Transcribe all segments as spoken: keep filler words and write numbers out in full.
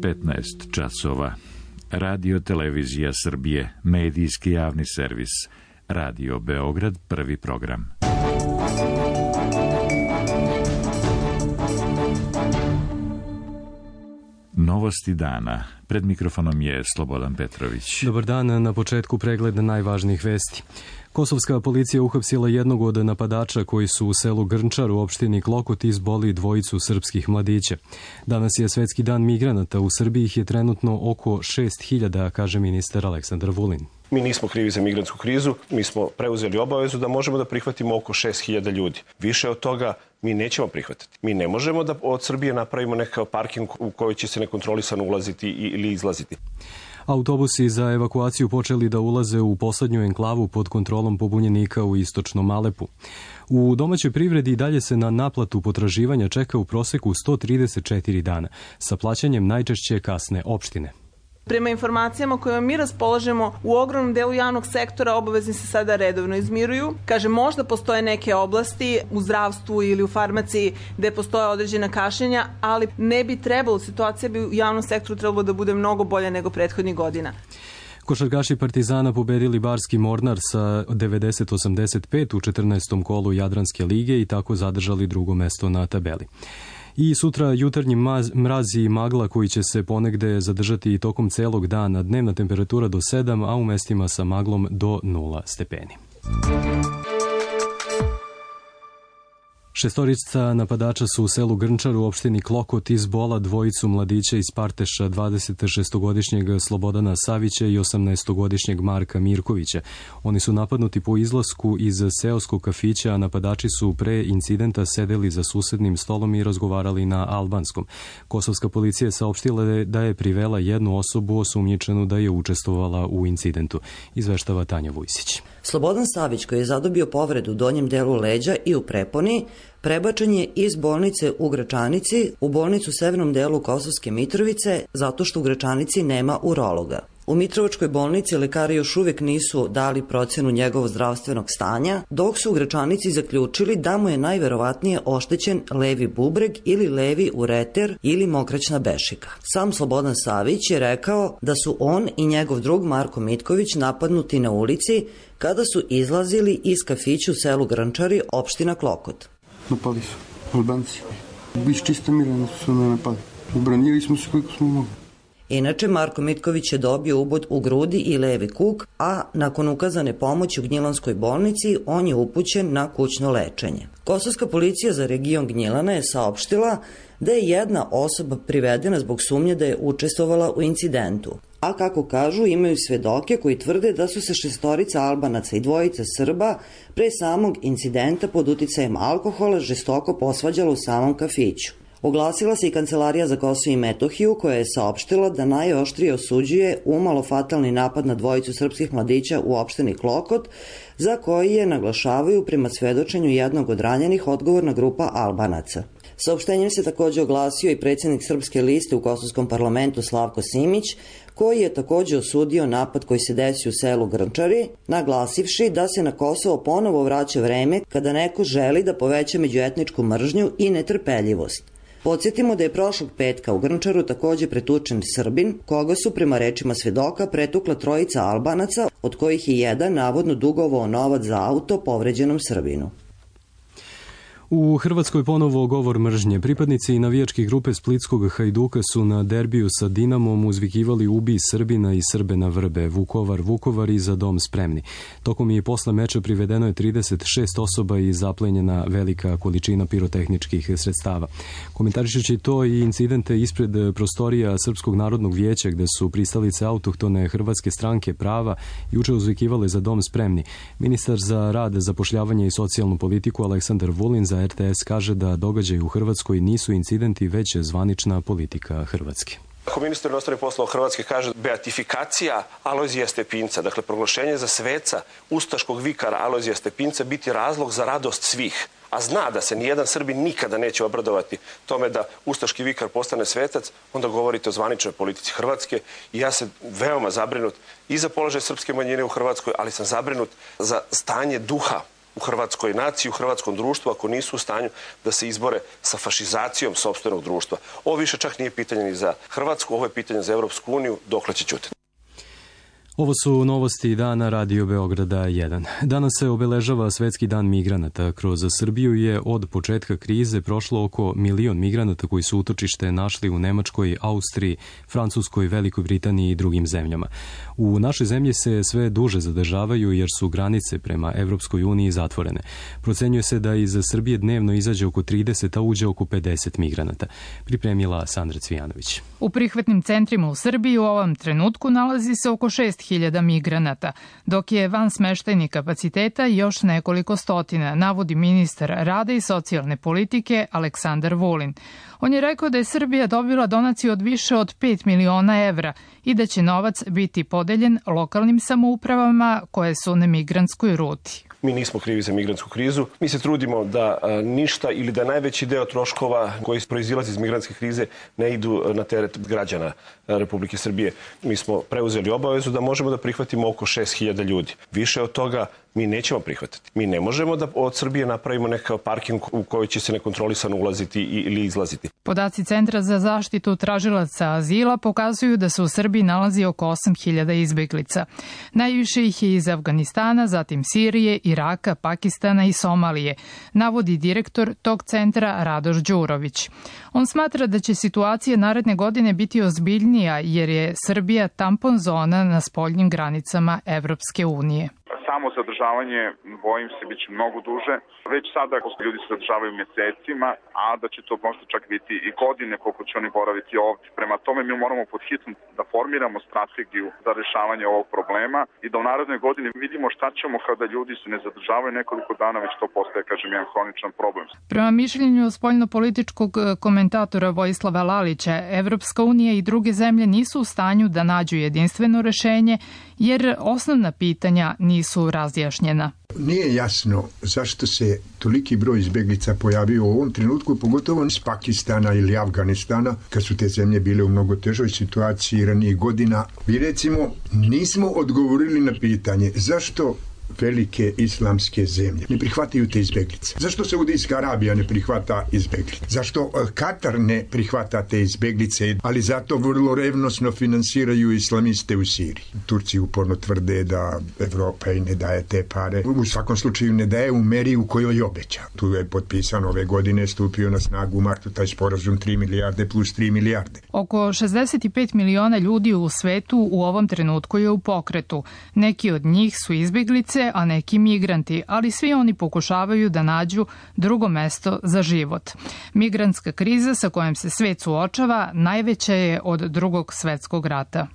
petnaest časova. Radio Televizija Srbije, medijski javni servis. Radio Beograd, prvi program. Novosti dana. Pred mikrofonom je Slobodan Petrović. Dobar dan, na početku pregled najvažnijih vesti. Kosovska policija uhapsila jednog od napadača koji su u selu Grnčar u opštini Klokot izboli dvojicu srpskih mladića. Danas je Svetski dan migranata, u Srbiji ih je trenutno oko šest hiljada, kaže ministar Aleksandar Vulin. Mi nismo krivi za migrantsku krizu, mi smo preuzeli obavezu da možemo da prihvatimo oko šest hiljada ljudi. Više od toga mi nećemo prihvatiti. Mi ne možemo da od Srbije napravimo nekakav parking u koji će se nekontrolisano ulaziti ili izlaziti. Autobusi za evakuaciju počeli da ulaze u poslednju enklavu pod kontrolom pobunjenika u istočnom Alepu. U domaćoj privredi i dalje se na naplatu potraživanja čeka u proseku sto trideset četiri dana, sa plaćanjem najčešće kasne opštine. Prema informacijama kojima mi raspolažemo, u ogromnom delu javnog sektora obavezni se sada redovno izmiruju. Kaže, možda postoje neke oblasti u zdravstvu ili u farmaciji gde postoje određena kašnjenja, ali ne bi trebalo, situacija bi u javnom sektoru trebalo da bude mnogo bolja nego prethodnih godina. Košarkaši Partizana pobedili Barski Mornar sa devedeset osamdeset pet u četrnaestom kolu Jadranske lige i tako zadržali drugo mesto na tabeli. I sutra jutarnji mraz i magla koji će se ponegde zadržati i tokom celog dana, dnevna temperatura do sedam, a u mestima sa maglom do nula stepeni. Šestorica napadača su u selu Grnčar u opštini Klokot izbola dvojicu mladića iz Parteša, dvadesetšestogodišnjeg Slobodana Savića i osamnaestogodišnjeg Marka Mirkovića. Oni su napadnuti po izlasku iz seoskog kafića, a napadači su pre incidenta sedeli za susednim stolom i razgovarali na albanskom. Kosovska policija je saopštila da je privela jednu osobu osumnjičenu da je učestvovala u incidentu. Izveštava Tanja Vujsić. Slobodan Savić, koji je zadobio povredu u donjem delu leđa i u preponi, prebačen je iz bolnice u Gračanici u bolnicu u severnom delu Kosovske Mitrovice zato što u Gračanici nema urologa. U Mitrovačkoj bolnici lekari još uvijek nisu dali procenu njegovog zdravstvenog stanja, dok su u Gračanici zaključili da mu je najverovatnije oštećen levi bubreg ili levi ureter ili mokraćna bešika. Sam Slobodan Savić je rekao da su on i njegov drug Marko Mitković napadnuti na ulici kada su izlazili iz kafića u selu Grnčari, opština Klokot. Napali su Albanci. Biš čista mirana su me napali. Ubranili smo se koliko smo mogli. Inače, Marko Mitković je dobio ubod u grudi i levi kuk, a nakon ukazane pomoći u Gnjilanskoj bolnici, on je upućen na kućno lečenje. Kosovska policija za region Gnjilana je saopštila da je jedna osoba privedena zbog sumnje da je učestvovala u incidentu. A kako kažu, imaju svedoke koji tvrde da su se šestorica Albanaca i dvojica Srba pre samog incidenta pod uticajem alkohola žestoko posvađala u samom kafiću. Oglasila se i Kancelarija za Kosovo i Metohiju, koja je saopštila da najoštrije osuđuje umalo fatalni napad na dvojicu srpskih mladića u opštini Klokot, za koji je, naglašavaju, prema svedočenju jednog od ranjenih, odgovorna grupa Albanaca. Saopštenjem se takođe oglasio i predsjednik Srpske liste u Kosovskom parlamentu Slavko Simić, koji je takođe osudio napad koji se desio u selu Grnčari, naglasivši da se na Kosovo ponovo vraća vreme kada neko želi da poveća međuetničku mržnju i netrpeljivost. Podsjetimo da je prošlog petka u Grnčaru takođe pretučen Srbin, koga su prema rečima svedoka pretukla trojica Albanaca, od kojih je jedan navodno dugovao novac za auto povređenom Srbinu. U Hrvatskoj ponovo govor mržnje. Pripadnici navijačke grupe splitskog Hajduka su na derbiju sa Dinamom uzvikivali ubi Srbina i Srbe na vrbe, Vukovar, Vukovar i za dom spremni. Tokom i posle meča privedeno je trideset šest osoba i zaplenjena velika količina pirotehničkih sredstava. Komentarišući to i incidente ispred prostorija Srpskog narodnog vijeća gde su pristalice autohtone hrvatske stranke prava juče uzvikivale za dom spremni. Ministar za rad, zapošljavanje i socijalnu politiku Aleksandar Vulin za R T S kaže da događaji u Hrvatskoj nisu incidenti, već zvanična politika Hrvatske. Ako ministar inostranih poslova Hrvatske kaže beatifikacija Alojzija Stepinca, dakle proglašenje za sveca ustaškog vikara Alojzija Stepinca biti razlog za radost svih, a zna da se nijedan Srbin nikada neće obradovati tome da ustaški vikar postane svetac, onda govorite o zvaničnoj politici Hrvatske i ja sam veoma zabrinut i za položaj srpske manjine u Hrvatskoj, ali sam zabrinut za stanje duha u hrvatskoj naciji, u hrvatskom društvu, ako nisu u stanju da se izbore sa fašizacijom sopstvenog društva. Ovo više čak nije pitanje ni za Hrvatsku, ovo je pitanje za Evropsku uniju, dokle će ćutiti. Ovo su novosti dana Radio Beograda jedan. Danas se obeležava Svetski dan migranata. Kroz Srbiju je od početka krize prošlo oko milion migranata koji su utočište našli u Nemačkoj, Austriji, Francuskoj, Velikoj Britaniji i drugim zemljama. U našoj zemlji se sve duže zadržavaju jer su granice prema Evropskoj uniji zatvorene. Procenjuje se da iz Srbije dnevno izađe oko trideset, a uđe oko pedeset migranata. Pripremila Sandra Cvijanović. U prihvatnim centrima u Srbiji u ovom trenutku nalazi se oko šest hiljada migranata, dok je van smeštajnih kapaciteta još nekoliko stotina, navodi ministar rada i socijalne politike Aleksandar Vulin. On je rekao da je Srbija dobila donaciju od više od pet miliona evra i da će novac biti podeljen lokalnim samoupravama koje su na migrantskoj ruti. Mi nismo krivi za migrantsku krizu. Mi se trudimo da ništa ili da najveći deo troškova koji proizilazi iz migrantske krize ne idu na teret građana Republike Srbije. Mi smo preuzeli obavezu da možemo da prihvatimo oko šest hiljada ljudi. Više od toga mi nećemo prihvatiti. Mi ne možemo da od Srbije napravimo nekav parking u koji će se nekontrolisano ulaziti ili izlaziti. Podaci Centra za zaštitu tražilaca azila pokazuju da se u Srbiji nalazi oko osam hiljada izbeglica. Najviše ih je iz Afganistana, zatim Sirije, Iraka, Pakistana i Somalije, navodi direktor tog centra Radoš Đurović. On smatra da će situacija naredne godine biti ozbiljnija jer je Srbija tampon zona na spoljnim granicama Evropske unije. Samo zadržavanje, bojim se, biće mnogo duže. Već sada ljudi se zadržavaju mesecima, a da će to možda čak biti i godine koliko će oni boraviti ovdje. Prema tome mi moramo pod hitno da formiramo strategiju za rešavanje ovog problema i da u narednoj godini vidimo šta ćemo kada ljudi se ne zadržavaju nekoliko dana, već to postaje, kažem, jedan hroničan problem. Prema mišljenju spoljnopolitičkog komentatora Vojislava Lalića, Evropska unija i druge zemlje nisu u stanju da nađu jedinstveno rešenje, jer osnovna pitanja nisu razjašnjena. Nije jasno zašto se toliki broj izbeglica pojavio u ovom trenutku, pogotovo iz Pakistana ili Afganistana, kad su te zemlje bile u mnogo težoj situaciji ranijih godina. Mi recimo nismo odgovorili na pitanje zašto velike islamske zemlje ne prihvataju te izbeglice. Zašto Saudijska Arabija ne prihvata izbeglice? Zašto Katar ne prihvata te izbeglice, ali zato vrlo revnosno finansiraju islamiste u Siriji? Turci uporno tvrde da Evropa i ne daje te pare. U svakom slučaju ne daje u meri u kojoj obeća. Tu je potpisan ove godine, stupio na snagu u martu taj sporazum tri milijarde plus tri milijarde. Oko šezdeset pet miliona ljudi u svetu u ovom trenutku je u pokretu. Neki od njih su izbeglice, a neki migranti, ali svi oni pokušavaju da nađu drugo mesto za život. Migrantska kriza sa kojom se svet suočava najveća je od Drugog svetskog rata.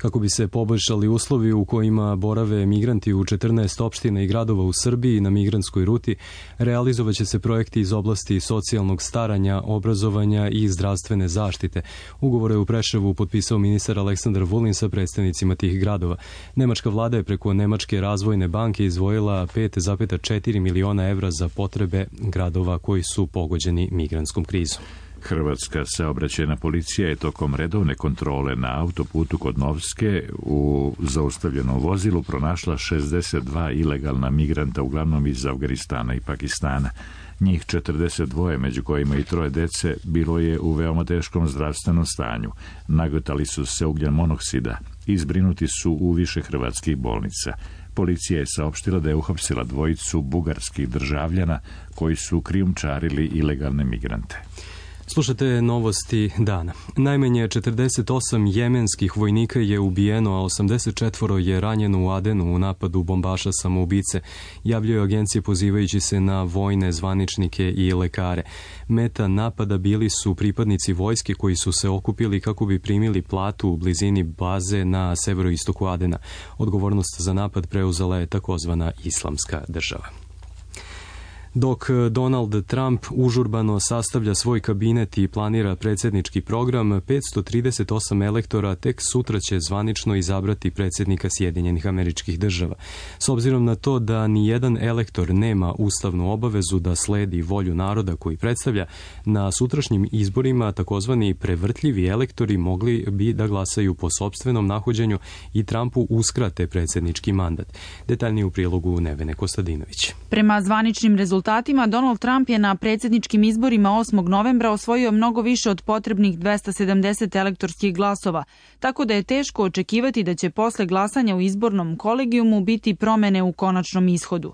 Kako bi se poboljšali uslovi u kojima borave migranti u četrnaest opština i gradova u Srbiji na migrantskoj ruti, realizovaće se projekti iz oblasti socijalnog staranja, obrazovanja i zdravstvene zaštite. Ugovore u Preševu potpisao ministar Aleksandar Vulin sa predstavnicima tih gradova. Nemačka vlada je preko Nemačke razvojne banke izdvojila pet zarez četiri miliona evra za potrebe gradova koji su pogođeni migrantskom krizom. Hrvatska saobraćajna policija je tokom redovne kontrole na autoputu kod Novske u zaustavljenom vozilu pronašla šezdeset dva ilegalna migranta, uglavnom iz Afganistana i Pakistana. Njih četrdeset dva, među kojima i troje dece, bilo je u veoma teškom zdravstvenom stanju. Nagotali su se ugljen monoksida i zbrinuti su u više hrvatskih bolnica. Policija je saopštila da je uhapsila dvojicu bugarskih državljana koji su krijumčarili ilegalne migrante. Slušate novosti dana. Najmanje četrdeset osam jemenskih vojnika je ubijeno, a osamdeset četiri je ranjeno u Adenu u napadu bombaša samoubice, javljaju agencije pozivajući se na vojne zvaničnike i lekare. Meta napada bili su pripadnici vojske koji su se okupili kako bi primili platu u blizini baze na severoistoku Adena. Odgovornost za napad preuzela je takozvana Islamska država. Dok Donald Trump užurbano sastavlja svoj kabinet i planira predsjednički program, petsto trideset osam elektora tek sutra će zvanično izabrati predsjednika Sjedinjenih Američkih Država. S obzirom na to da ni jedan elektor nema ustavnu obavezu da sledi volju naroda koji predstavlja, na sutrašnjim izborima takozvani prevrtljivi elektori mogli bi da glasaju po sopstvenom nahođenju i Trumpu uskrate predsjednički mandat. Detaljnije u prilogu Nevene Kostadinović. Prema zvaničnim rezultatima, Donald Trump je na predsjedničkim izborima osmog novembra osvojio mnogo više od potrebnih dvesta sedamdeset elektorskih glasova, tako da je teško očekivati da će posle glasanja u izbornom kolegijumu biti promene u konačnom ishodu.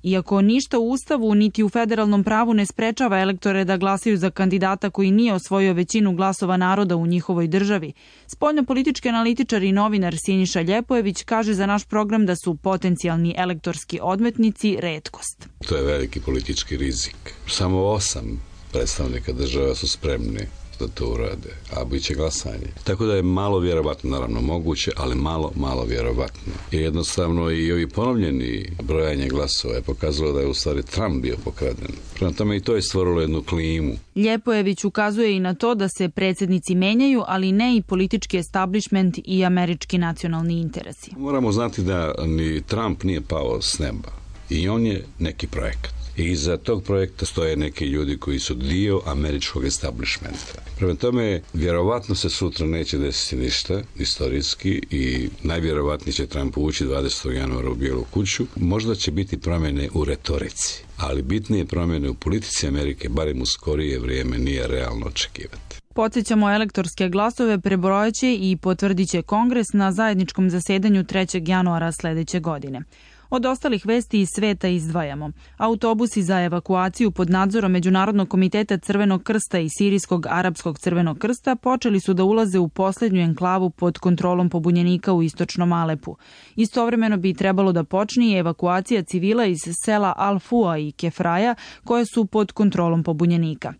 Iako ništa u Ustavu niti u federalnom pravu ne sprečava elektore da glasaju za kandidata koji nije osvojio većinu glasova naroda u njihovoj državi, spoljnopolitički analitičar i novinar Siniša Ljepojević kaže za naš program da su potencijalni elektorski odmetnici retkost. To je veliki politički rizik. Samo osam predstavnika država su spremni da to urade, a bit će glasanje. Tako da je malo vjerovatno, naravno moguće, ali malo, malo vjerovatno. Jer jednostavno i ovi ponovljeni brojanje glasova je pokazalo da je u stvari Trump bio pokraden. Prema tome i to je stvorilo jednu klimu. Ljepojević ukazuje i na to da se predsjednici menjaju, ali ne i politički establishment i američki nacionalni interesi. Moramo znati da ni Trump nije pao s neba. I on je neki projekat. I iza tog projekta stoje neki ljudi koji su dio američkog establishmenta. Prema tome, vjerovatno se sutra neće desiti ništa istorijski i najvjerovatnije će Trump ući dvadesetog januara u Bijelu kuću. Možda će biti promjene u retorici, ali bitnije promjene u politici Amerike, barem u skorije vrijeme, nije realno očekivati. Podsjećamo, elektorske glasove prebrojaće i potvrdit će Kongres na zajedničkom zasedanju trećeg januara sljedeće godine. Od ostalih vesti iz sveta izdvajamo. Autobusi za evakuaciju pod nadzorom Međunarodnog komiteta Crvenog krsta i Sirijskog arapskog Crvenog krsta počeli su da ulaze u posljednju enklavu pod kontrolom pobunjenika u istočnom Alepu. Istovremeno bi trebalo da počne i evakuacija civila iz sela Al-Fua i Kefraja koje su pod kontrolom pobunjenika.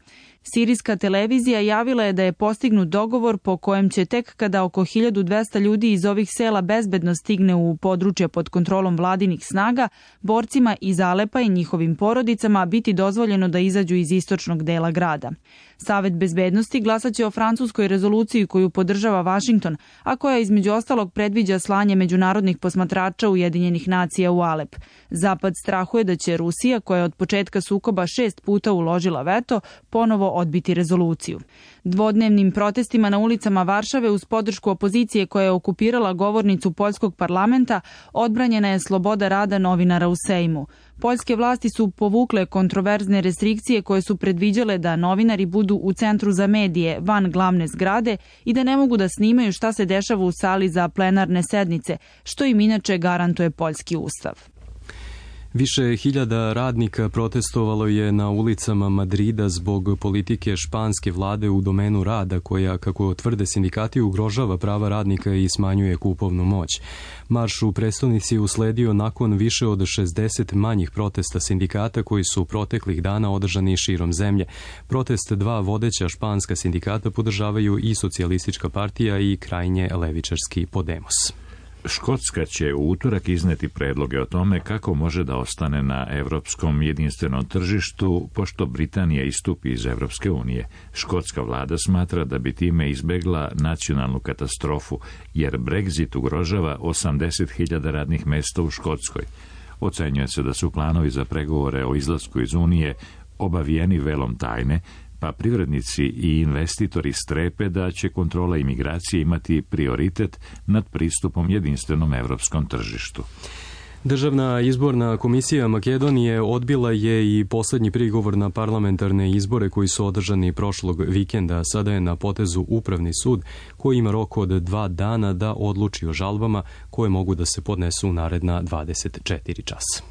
Sirijska televizija javila je da je postignut dogovor po kojem će tek kada oko hiljadu dvesta ljudi iz ovih sela bezbedno stigne u područje pod kontrolom vladinih snaga, borcima iz Alepa i njihovim porodicama biti dozvoljeno da izađu iz istočnog dela grada. Savet bezbednosti glasaće o francuskoj rezoluciji koju podržava Vašington, a koja između ostalog predviđa slanje međunarodnih posmatrača Ujedinjenih nacija u Alep. Zapad strahuje da će Rusija, koja je od početka sukoba šest puta uložila veto, ponovo odbiti rezoluciju. Dvodnevnim protestima na ulicama Varšave uz podršku opozicije koja je okupirala govornicu poljskog parlamenta odbranjena je sloboda rada novinara u Sejmu. Poljske vlasti su povukle kontroverzne restrikcije koje su predviđale da novinari budu u centru za medije, van glavne zgrade i da ne mogu da snimaju šta se dešava u sali za plenarne sednice, što im inače garantuje poljski ustav. Više hiljada radnika protestovalo je na ulicama Madrida zbog politike španske vlade u domenu rada koja, kako tvrde sindikati, ugrožava prava radnika i smanjuje kupovnu moć. Marš u prestonici je usledio nakon više od šezdeset manjih protesta sindikata koji su proteklih dana održani širom zemlje. Protest dva vodeća španska sindikata podržavaju i Socijalistička partija i krajnje levičarski Podemos. Škotska će u utorak izneti predloge o tome kako može da ostane na evropskom jedinstvenom tržištu, pošto Britanija istupi iz Evropske unije. Škotska vlada smatra da bi time izbegla nacionalnu katastrofu, jer Brexit ugrožava osamdeset hiljada radnih mesta u Škotskoj. Ocenjuje se da su planovi za pregovore o izlasku iz Unije obavijeni velom tajne, pa privrednici i investitori strepe da će kontrola imigracije imati prioritet nad pristupom jedinstvenom evropskom tržištu. Državna izborna komisija Makedonije odbila je i posljednji prigovor na parlamentarne izbore koji su održani prošlog vikenda. Sada je na potezu Upravni sud koji ima rok od dva dana da odluči o žalbama koje mogu da se podnesu u naredna dvadeset četiri časa.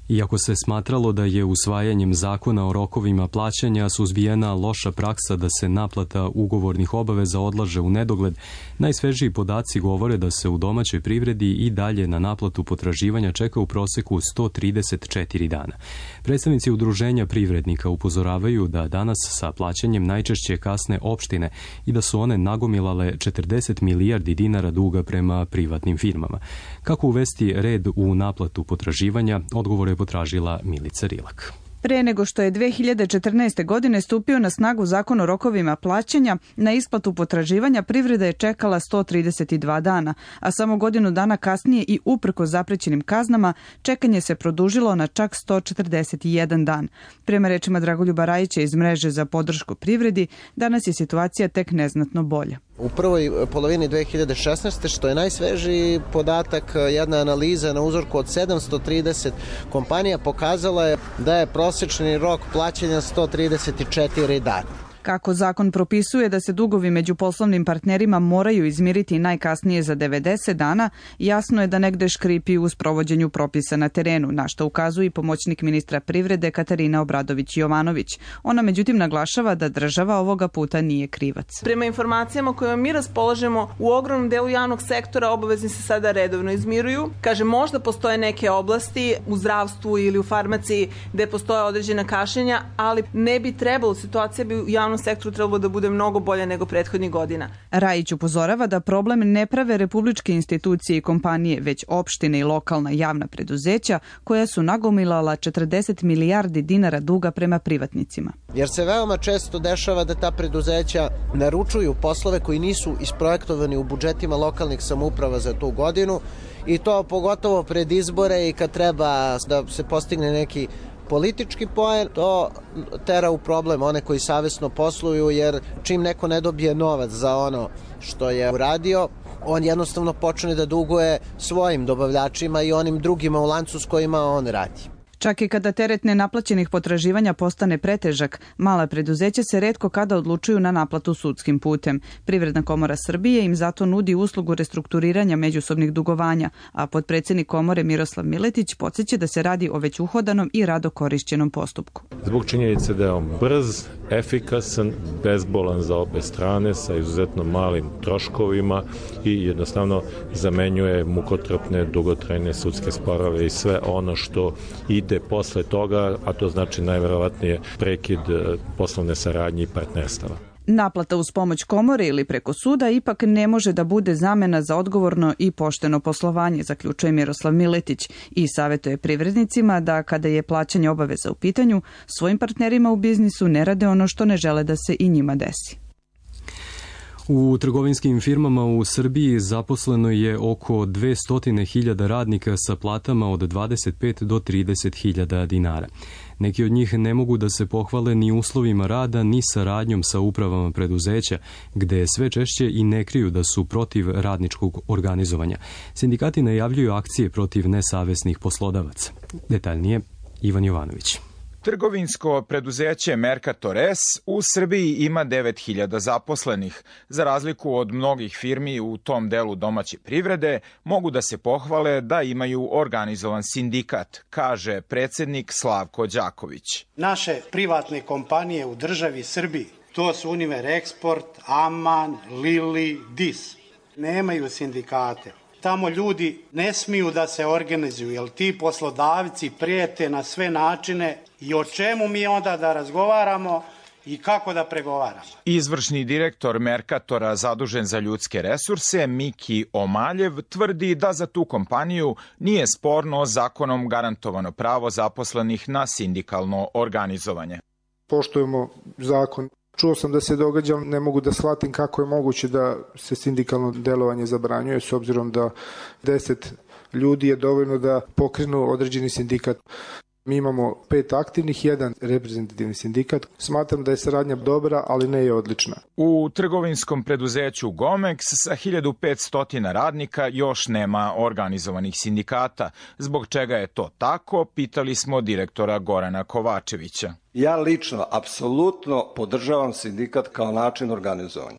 Iako se smatralo da je usvajanjem zakona o rokovima plaćanja suzbijena loša praksa da se naplata ugovornih obaveza odlaže u nedogled, najsvežiji podaci govore da se u domaćoj privredi i dalje na naplatu potraživanja čeka u proseku sto trideset četiri dana. Predstavnici udruženja privrednika upozoravaju da danas sa plaćanjem najčešće kasne opštine i da su one nagomilale četrdeset milijardi dinara duga prema privatnim firmama. Kako uvesti red u naplatu potraživanja, odgovor je potražila Milica Rilak. Pre nego što je dve hiljade četrnaeste. godine stupio na snagu zakon o rokovima plaćanja, na isplatu potraživanja privreda je čekala sto trideset dva dana, a samo godinu dana kasnije i uprkos zaprećenim kaznama čekanje se produžilo na čak sto četrdeset jedan dan. Prema rečima Dragoljuba Rajića iz mreže za podršku privredi, danas je situacija tek neznatno bolja. U prvoj polovini dve hiljade šesnaeste. što je najsvežiji podatak, jedna analiza na uzorku od sedamsto trideset kompanija pokazala je da je prosječni rok plaćanja sto trideset četiri dana. Kako zakon propisuje da se dugovi među poslovnim partnerima moraju izmiriti najkasnije za devedeset dana, jasno je da negde škripi u sprovođenju propisa na terenu, na što ukazuje i pomoćnik ministra privrede Katarina Obradović-Jovanović. Ona međutim naglašava da država ovoga puta nije krivac. Prema informacijama kojima mi raspolažemo, u ogromnom delu javnog sektora obavezni se sada redovno izmiruju. Kaže, možda postoje neke oblasti u zdravstvu ili u farmaciji gde postoje određena kašnjenja, ali ne bi trebalo, situacija bi u javnom sektoru trebalo da bude mnogo bolje nego prethodnih godina. Rajić upozorava da problem ne prave republičke institucije i kompanije, već opštine i lokalna javna preduzeća koja su nagomilala četrdeset milijardi dinara duga prema privatnicima. Jer se veoma često dešava da ta preduzeća naručuju poslove koji nisu isprojektovani u budžetima lokalnih samouprava za tu godinu i to pogotovo pred izbore i kad treba da se postigne neki politički poen, to tera u problem one koji savesno posluju, jer čim neko ne dobije novac za ono što je uradio, on jednostavno počne da duguje svojim dobavljačima i onim drugima u lancu s kojima on radi. Čak i kada teret nenaplaćenih potraživanja postane pretežak, mala preduzeća se retko kada odlučuju na naplatu sudskim putem. Privredna komora Srbije im zato nudi uslugu restrukturiranja međusobnih dugovanja, a potpredsednik komore Miroslav Miletić podsjeća da se radi o već uhodanom i rado korišćenom postupku. Zbog činjenice da je on brz, efikasan, bezbolan za obe strane, sa izuzetno malim troškovima i jednostavno zamenjuje mukotrpne, dugotrajne sudske sporove i sve ono što ide posle toga, a to znači najverovatnije prekid poslovne saradnje i partnerstava. Naplata uz pomoć komore ili preko suda ipak ne može da bude zamena za odgovorno i pošteno poslovanje, zaključuje Miroslav Miletić i savjetuje privrednicima da kada je plaćanje obaveza u pitanju, svojim partnerima u biznisu ne rade ono što ne žele da se i njima desi. U trgovinskim firmama u Srbiji zaposleno je oko dvesta hiljada radnika sa platama od dvadeset pet do trideset hiljada dinara. Neki od njih ne mogu da se pohvale ni uslovima rada, ni saradnjom sa upravama preduzeća, gde sve češće i ne kriju da su protiv radničkog organizovanja. Sindikati najavljuju akcije protiv nesavesnih poslodavaca. Detaljnije, Ivan Jovanović. Trgovinsko preduzeće Mercator S u Srbiji ima devet hiljada zaposlenih. Za razliku od mnogih firmi u tom delu domaće privrede, mogu da se pohvale da imaju organizovan sindikat, kaže predsednik Slavko Đaković. Naše privatne kompanije u državi Srbiji, to su Univer Export, Aman, Lili, Dis, nemaju sindikate. Tamo ljudi ne smiju da se organizuju, jer ti poslodavci prijete na sve načine i o čemu mi onda da razgovaramo i kako da pregovaramo. Izvršni direktor Mercatora zadužen za ljudske resurse, Miki Omaljev, tvrdi da za tu kompaniju nije sporno zakonom garantovano pravo zaposlenih na sindikalno organizovanje. Poštujemo zakon. Čuo sam da se događa, ne mogu da shvatim kako je moguće da se sindikalno delovanje zabranjuje, s obzirom da deset ljudi je dovoljno da pokrenu određeni sindikat. Mi imamo pet aktivnih, jedan reprezentativni sindikat. Smatram da je saradnja dobra, ali ne je odlična. U trgovinskom preduzeću Gomex sa hiljadu petsto radnika još nema organizovanih sindikata. Zbog čega je to tako, pitali smo direktora Gorana Kovačevića. Ja lično apsolutno podržavam sindikat kao način organizovanja.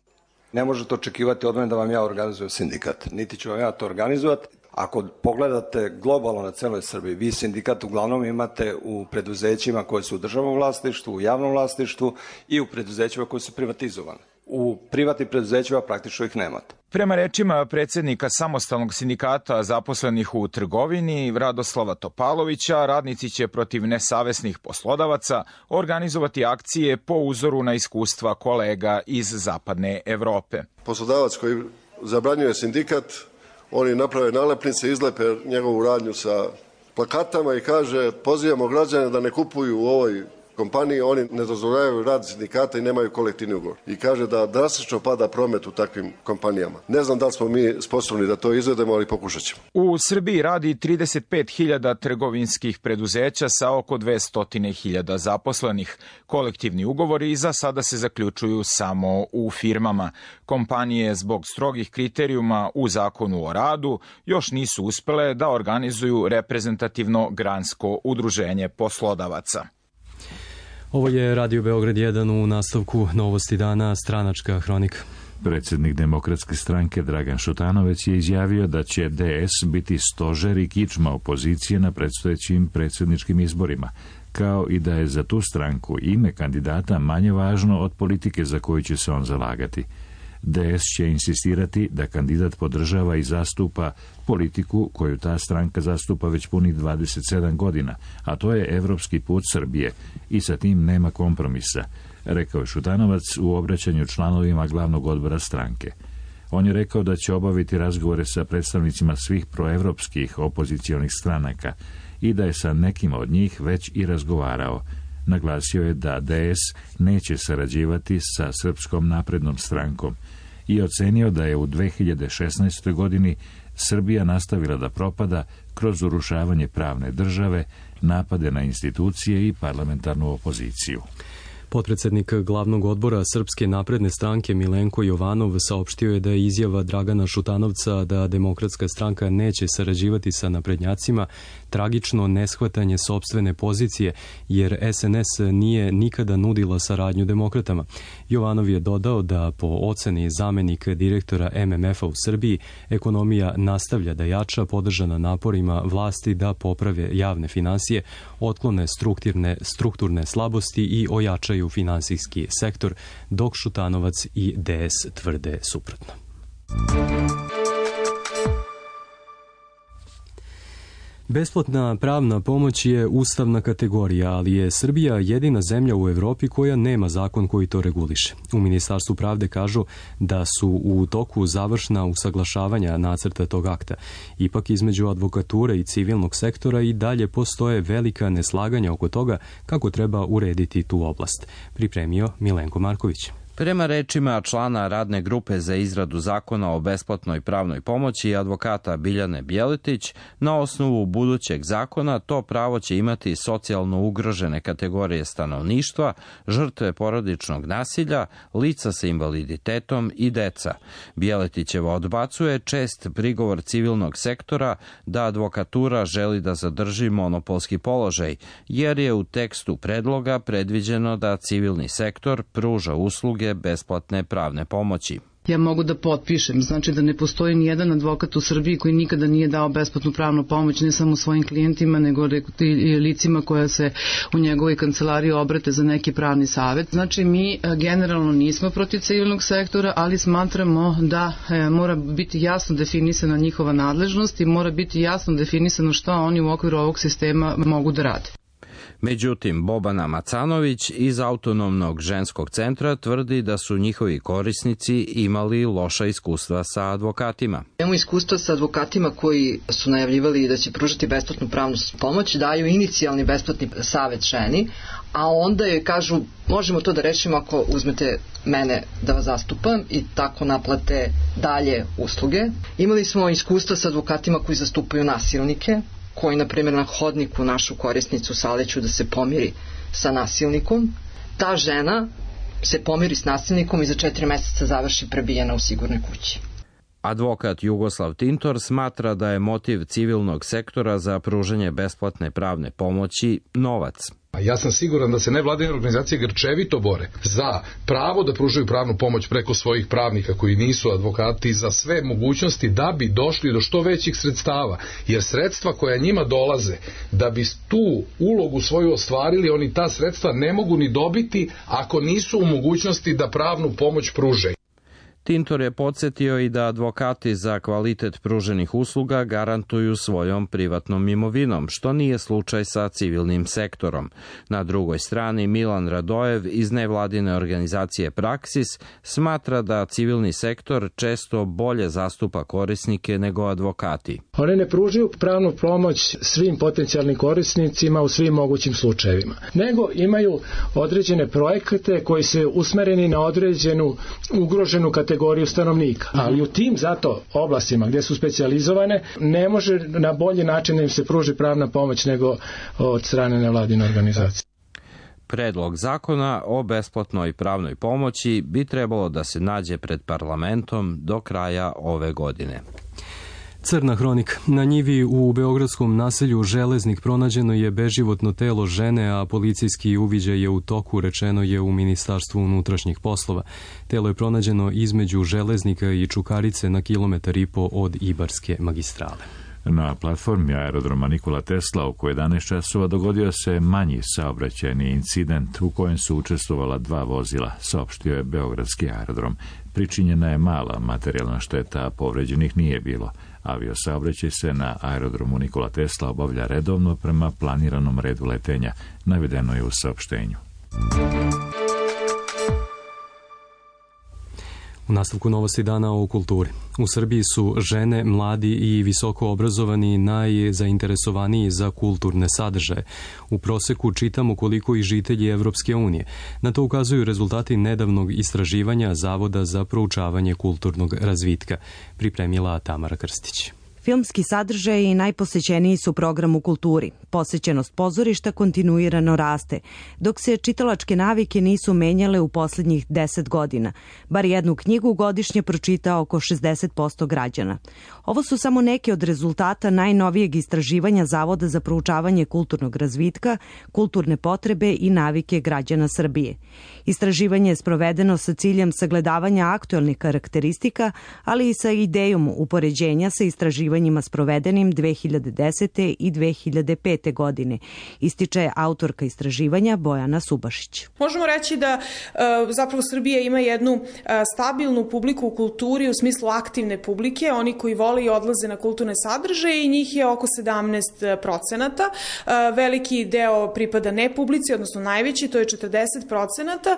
Ne možete očekivati od mene da vam ja organizujem sindikat, niti ću vam ja to organizovati. Ako pogledate globalno na celoj Srbiji, vi sindikat uglavnom imate u preduzećima koje su u državnom vlasništvu, u javnom vlasništvu i u preduzećima koje su privatizovane. U privatnim preduzećima praktično ih nemate. Prema rečima predsednika samostalnog sindikata zaposlenih u trgovini Radoslava Topalovića, radnici će protiv nesavesnih poslodavaca organizovati akcije po uzoru na iskustva kolega iz zapadne Evrope. Poslodavac koji zabranjuje sindikat, oni naprave nalepnice, izlepe njegovu radnju sa plakatama i kaže pozivamo građane da ne kupuju u ovoj kompaniji, oni ne dozvoljavaju rad sindikata i nemaju kolektivni ugovor. I kaže da drastično pada promet u takvim kompanijama. Ne znam da li smo mi sposobni da to izvedemo, ali pokušat ćemo. U Srbiji radi trideset pet hiljada trgovinskih preduzeća sa oko dvesta hiljada zaposlenih. Kolektivni ugovori za sada se zaključuju samo u firmama. Kompanije zbog strogih kriterijuma u zakonu o radu još nisu uspele da organizuju reprezentativno gransko udruženje poslodavaca. Ovo je Radio Beograd jedan, u nastavku novosti dana, stranačka hronika. Predsjednik Demokratske stranke Dragan Šutanovac je izjavio da će D S biti stožer i kičma opozicije na predstojećim predsjedničkim izborima, kao i da je za tu stranku ime kandidata manje važno od politike za koju će se on zalagati. D S će insistirati da kandidat podržava i zastupa politiku koju ta stranka zastupa već punih dvadeset sedam godina, a to je evropski put Srbije i sa tim nema kompromisa, rekao je Šutanovac u obraćanju članovima glavnog odbora stranke. On je rekao da će obaviti razgovore sa predstavnicima svih proevropskih opozicionih stranaka i da je sa nekima od njih već i razgovarao. Naglasio je da D S neće sarađivati sa Srpskom naprednom strankom i ocenio da je u dve hiljade šesnaestoj. godini Srbija nastavila da propada kroz urušavanje pravne države, napade na institucije i parlamentarnu opoziciju. Potpredsednik glavnog odbora Srpske napredne stranke Milenko Jovanov saopštio je da je izjava Dragana Šutanovca da Demokratska stranka neće sarađivati sa naprednjacima tragično neshvatanje sopstvene pozicije, jer S N S nije nikada nudila saradnju demokratama. Jovanov je dodao da po oceni zamenika direktora M M F-a u Srbiji ekonomija nastavlja da jača, podržana naporima vlasti da poprave javne finansije, otklone strukturne, strukturne slabosti i ojačaju u finansijski sektor, dok Šutanovac i D S tvrde suprotno. Besplatna pravna pomoć je ustavna kategorija, ali je Srbija jedina zemlja u Evropi koja nema zakon koji to reguliše. U Ministarstvu pravde kažu da su u toku završna usaglašavanja nacrta tog akta. Ipak između advokature i civilnog sektora i dalje postoje velika neslaganja oko toga kako treba urediti tu oblast. Pripremio Milenko Marković. Prema rečima člana radne grupe za izradu zakona o besplatnoj pravnoj pomoći advokata Biljane Bjeletić, na osnovu budućeg zakona to pravo će imati socijalno ugrožene kategorije stanovništva, žrtve porodičnog nasilja, lica sa invaliditetom i deca. Bjeletićeva odbacuje čest prigovor civilnog sektora da advokatura želi da zadrži monopolski položaj, jer je u tekstu predloga predviđeno da civilni sektor pruža usluge besplatne pravne pomoći. Ja mogu da potpišem, znači da ne postoji ni jedan advokat u Srbiji koji nikada nije dao besplatnu pravnu pomoć ne samo svojim klijentima, nego i licima koja se u njegovoj kancelariji obrate za neki pravni savet. Znači mi generalno nismo protiv civilnog sektora, ali smatramo da mora biti jasno definisana njihova nadležnost i mora biti jasno definisano šta oni u okviru ovog sistema mogu da rade. Međutim, Bobana Macanović iz Autonomnog ženskog centra tvrdi da su njihovi korisnici imali loša iskustva sa advokatima. Imamo iskustva sa advokatima koji su najavljivali da će pružati besplatnu pravnu pomoć, daju inicijalni besplatni savet ženi, a onda joj kažu možemo to da rešimo ako uzmete mene da vas zastupam i tako naplate dalje usluge. Imali smo iskustva sa advokatima koji zastupaju nasilnike, koji, na primjer, na hodniku našu korisnicu saleću da se pomiri sa nasilnikom. Ta žena se pomiri s nasilnikom i za četiri meseca završi prebijena u sigurnoj kući. Advokat Jugoslav Tintor smatra da je motiv civilnog sektora za pružanje besplatne pravne pomoći novac. A ja sam siguran da se nevladine organizacije grčevito bore za pravo da pružaju pravnu pomoć preko svojih pravnika koji nisu advokati, za sve mogućnosti da bi došli do što većih sredstava, jer sredstva koja njima dolaze da bi tu ulogu svoju ostvarili, oni ta sredstva ne mogu ni dobiti ako nisu u mogućnosti da pravnu pomoć pruže. Tintor je podsjetio i da advokati za kvalitet pruženih usluga garantuju svojom privatnom imovinom, što nije slučaj sa civilnim sektorom. Na drugoj strani Milan Radojev iz nevladine organizacije Praksis smatra da civilni sektor često bolje zastupa korisnike nego advokati. One ne pružaju pravnu pomoć svim potencijalnim korisnicima u svim mogućim slučajevima, nego imaju određene projekte koji se usmereni na određenu ugroženu kategoriju kategoriju stanovnika. Ali u tim zato oblastima gdje su specijalizovane ne može na bolji način da im se pruži pravna pomoć nego od strane nevladine organizacije. Predlog zakona o besplatnoj pravnoj pomoći bi trebalo da se nađe pred parlamentom do kraja ove godine. Crna hronika. Na njivi u beogradskom naselju Železnik pronađeno je beživotno telo žene, a policijski uviđaj je u toku, rečeno je u Ministarstvu unutrašnjih poslova. Telo je pronađeno između Železnika i Čukarice na kilometar i po od Ibarske magistrale. Na platformi aerodroma Nikola Tesla oko jedanaest časova dogodio se manji saobraćajni incident u kojem su učestvovala dva vozila, saopštio je Beogradski aerodrom. Pričinjena je mala materijalna šteta, a povređenih nije bilo. Aviosaobraćaj se na aerodromu Nikola Tesla obavlja redovno prema planiranom redu letenja, navedeno je u saopštenju. U nastavku novosti dana o kulturi. U Srbiji su žene, mladi i visoko obrazovani najzainteresovaniji za kulturne sadržaje. U proseku čitamo koliko i žitelji Evropske unije. Na to ukazuju rezultati nedavnog istraživanja Zavoda za proučavanje kulturnog razvitka. Pripremila Tamara Krstić. Filmski sadržaji najposećeniji su program u kulturi. Posećenost pozorišta kontinuirano raste, dok se čitalačke navike nisu menjale u posljednjih deset godina. Bar jednu knjigu godišnje pročita oko šezdeset posto građana. Ovo su samo neki od rezultata najnovijeg istraživanja Zavoda za proučavanje kulturnog razvitka, kulturne potrebe i navike građana Srbije. Istraživanje je sprovedeno sa ciljem sagledavanja aktuelnih karakteristika, ali i sa idejom upoređenja sa istraživanjima sprovedenim dve hiljade desete. i dve hiljade pete. godine, ističe autorka istraživanja Bojana Subašić. Možemo reći da zapravo Srbija ima jednu stabilnu publiku u kulturi u smislu aktivne publike, oni koji vole i odlaze na kulturne sadržaje i njih je oko sedamnaest procenata. Veliki deo pripada ne publici, odnosno najveći, to je četrdeset procenata.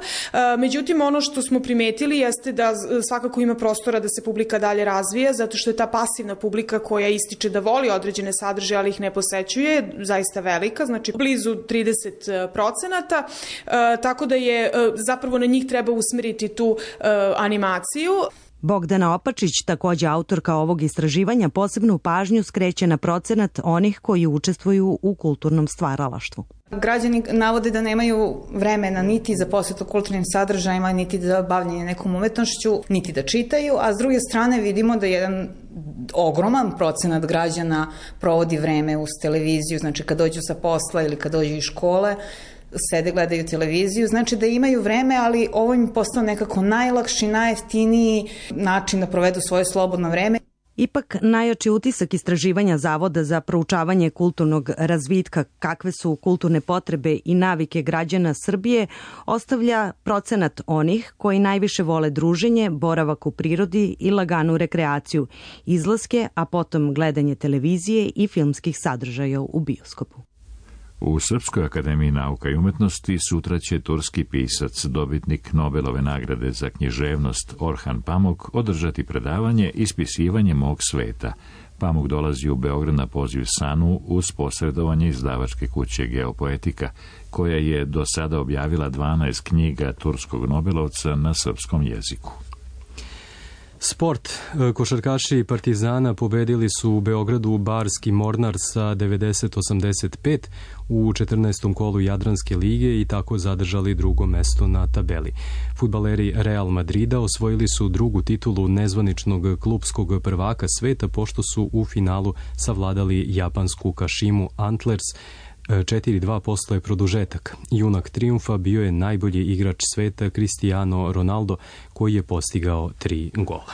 Međutim, ono što smo primetili jeste da svakako ima prostora da se publika dalje razvija, zato što je ta pasivna publika koja ističe da voli određene sadržaje, ali ih ne posećuje, zaista velika, znači blizu trideset procenata, tako da je zapravo na njih treba usmeriti tu animaciju. Bogdana Opačić, takođe autorka ovog istraživanja, posebnu pažnju skreće na procenat onih koji učestvuju u kulturnom stvaralaštvu. Građani navode da nemaju vremena niti za posvetu kulturnim sadržajima, niti za bavljanje nekom umetnošću, niti da čitaju, a s druge strane vidimo da jedan ogroman procenat građana provodi vreme uz televiziju, znači kad dođu sa posla ili kad dođu iz škole, sede, gledaju televiziju, znači da imaju vreme, ali ovo im postao nekako najlakši, najjeftiniji način da provedu svoje slobodno vreme. Ipak, najjači utisak istraživanja Zavoda za proučavanje kulturnog razvitka, kakve su kulturne potrebe i navike građana Srbije, ostavlja procenat onih koji najviše vole druženje, boravak u prirodi i laganu rekreaciju, izlaske, a potom gledanje televizije i filmskih sadržaja u bioskopu. U Srpskoj akademiji nauka i umetnosti sutra će turski pisac, dobitnik Nobelove nagrade za književnost Orhan Pamuk, održati predavanje Ispisivanje mog sveta. Pamuk dolazi u Beograd na poziv SANU uz posredovanje izdavačke kuće Geopoetika, koja je do sada objavila dvanaest knjiga turskog Nobelovca na srpskom jeziku. Sport. Košarkaši Partizana pobedili su u Beogradu Barski Mornar sa devedeset osamdeset pet u četrnaestom kolu Jadranske lige i tako zadržali drugo mesto na tabeli. Fudbaleri Real Madrida osvojili su drugu titulu nezvaničnog klupskog prvaka sveta pošto su u finalu savladali japansku Kashimu Antlers četiri dva posle produžetak. Junak trijumfa bio je najbolji igrač sveta Cristiano Ronaldo, koji je postigao tri gola.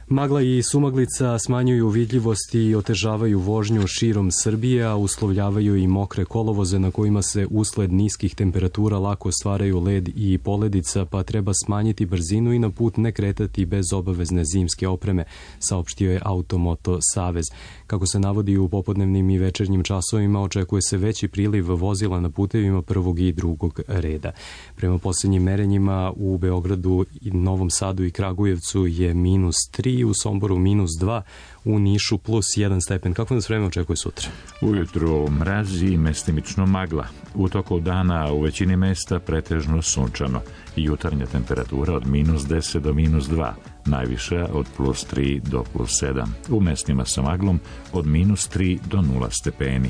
Magla i sumaglica smanjuju vidljivost i otežavaju vožnju širom Srbije, a uslovljavaju i mokre kolovoze na kojima se usled niskih temperatura lako stvaraju led i poledica, pa treba smanjiti brzinu i na put ne kretati bez obavezne zimske opreme, saopštio je Automoto Savez. Kako se navodi u popodnevnim i večernjim časovima, očekuje se veći priliv vozila na putevima prvog i drugog reda. Prema posljednjim merenjima u Beogradu, Novom Sadu i Kragujevcu je minus tri, u Somboru minus dva, u Nišu plus jedan stepen. Kako nas vreme očekuje sutra? Ujutru mraz i mestimično magla. U toku dana u većini mesta pretežno sunčano. Jutarnja temperatura od minus deset do minus dva, najviša od plus tri do plus sedam. U mestima sa maglom od minus tri do nula stepeni.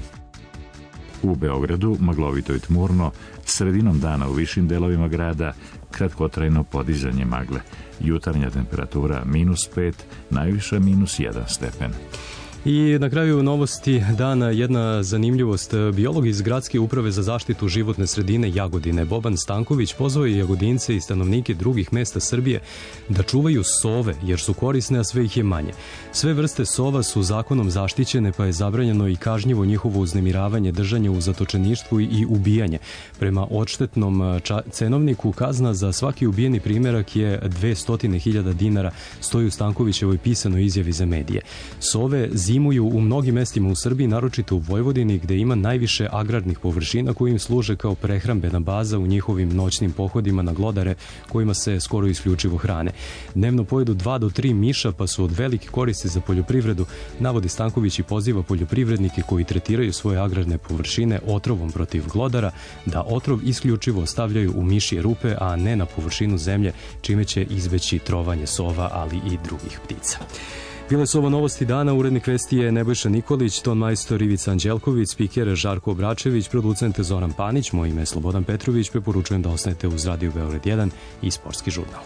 U Beogradu maglovito i tmurno, sredinom dana u višim delovima grada kratkotrajno podizanje magle. Jutarnja temperatura minus pet, najviša minus jedan stepen. I na kraju novosti dana jedna zanimljivost. Biolog iz Gradske uprave za zaštitu životne sredine Jagodine, Boban Stanković, pozvao je Jagodince i stanovnike drugih mesta Srbije da čuvaju sove, jer su korisne, a sve ih je manje. Sve vrste sova su zakonom zaštićene, pa je zabranjeno i kažnjivo njihovo uznemiravanje, držanje u zatočeništvu i ubijanje. Prema odštetnom cenovniku kazna za svaki ubijeni primjerak je dvesta hiljada dinara, stoji u Stankovićevoj pisanoj izjavi za medije. Sove zimuju u mnogim mestima u Srbiji, naročito u Vojvodini, gde ima najviše agrarnih površina koji im služe kao prehrambena baza u njihovim noćnim pohodima na glodare kojima se skoro isključivo hrane. Dnevno pojedu dva do tri miša, pa su od velike koristi za poljoprivredu, navodi Stanković i poziva poljoprivrednike koji tretiraju svoje agrarne površine otrovom protiv glodara da otrov isključivo stavljaju u mišje rupe, a ne na površinu zemlje, čime će izbeći trovanje sova, ali i drugih ptica. Bile su ovo novosti dana, urednik vesti je Nebojša Nikolić, ton majstor Ivica Anđelković, spiker Žarko Obračević, producent Zoran Panić, moje ime je Slobodan Petrović, preporučujem da ostanete uz Radio Beograd jedan i Sportski žurnal.